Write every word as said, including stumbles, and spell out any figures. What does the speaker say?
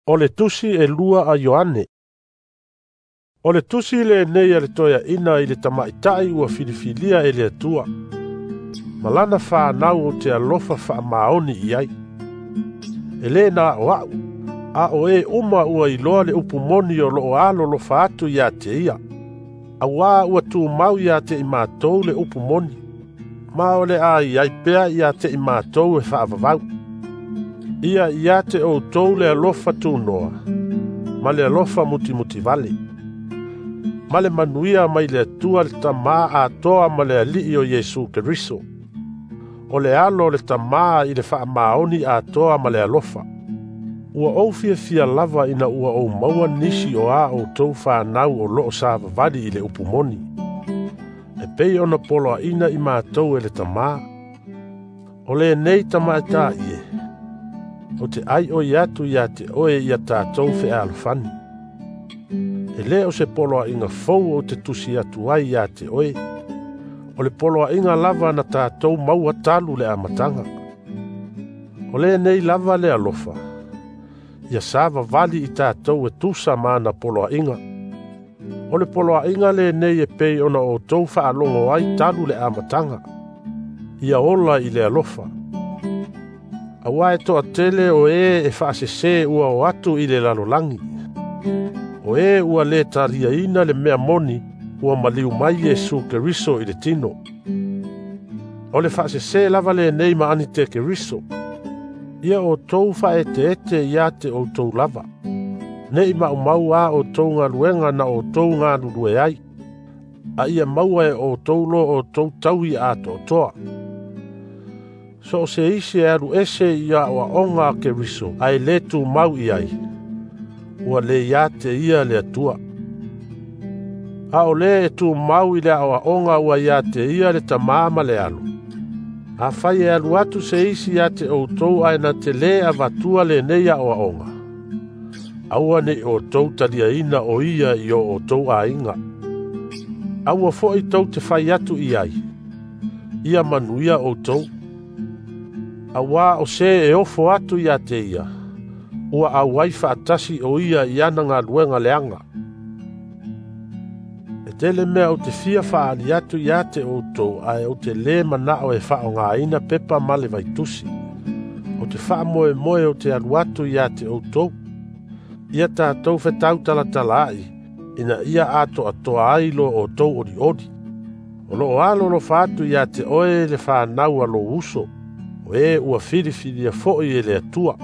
O le tusi e lua a Ioane. O le tusi lenei a le toeaina i le tamaitai ua filifilia e le Atua. Ma lana whanau o te alofa whaamaoni i ai. E le nā o au, a o e uma ua iloa le upu moni o loo alo lofa atu ia te ia. Auā ua tūmau ia te i mātou le upu moni. Ma o le ai ai pea ia te i mātou e whaavavau. Ia ia te o tou le alofa tūnoa, ma le alofa mutimuti vale. Ma le manuia mai le Atua le tamā atoa ma le alii o Iesu Keriso. O le alo le tamā i le whaamaoni atoa ma le alofa. Ua ou fiafia lava ina ua ou maua nisi o a o tou whanau o loo savavali i le upu moni. E pei ona poloaina i mātou e le tamā. O le nei tamaita ie. O te ai o iatu ia te oe ia tātou whealofani. E le o se poloa inga fou o te tusi atu ai ia te oe. O le poloa inga lava na tātou maua talu le amatanga. O le nei lava le alofa. Ia savavali i tātou e tusa mana poloa inga. O le poloa inga le nei e pei ona o tou whaalongo ai talu le amatanga. Ia ola i le alofa. Aua e toa tele o e e whaasese ua o atu i le lalolangi. O e ua le talia ina le mea moni ua maliu mai Iesu Keriso i le tino. O le whaasese lava le nei ma ani te Keriso. Ia o tou whaete ete ia te o tou lava. Nei ma umau a o tou ngaluenga na o tou ngalulue ai. A ia maua e o tou lo o tou taui a to toa. So se isi e alu ese ia o aonga a Keriso, a e le tū mau i ai. Ua le ia te ia le Atua. A o le e tū mau i le aoaonga ua ia te ia le tamā ma le alu. A whai e alu atu se isi ia te o tou ae na te le avatua le nei aoaonga. Aua nei o tou talia ina o ia i o o tou ainga. Aua foi tou te whai atu i ai. Ia manuia o tou. Aua o se e ofo atu ia te ia. Ua auai whaatasi o ia i ana ngā luenga leanga. E tele mea o te fia whaali atu ia te o tou ae o te le manao e whao ngā ina pepa male vaitusi. O te whaamoe moe o te alu atu ia te o tou. Ia tātou whetau talatala ai, ina ia ato atoa ai lo o tou ori ori. O lo o alo lo whaatu ia te oe le whanau a lo uso. O e ua whiriwhiria foi e le Atua.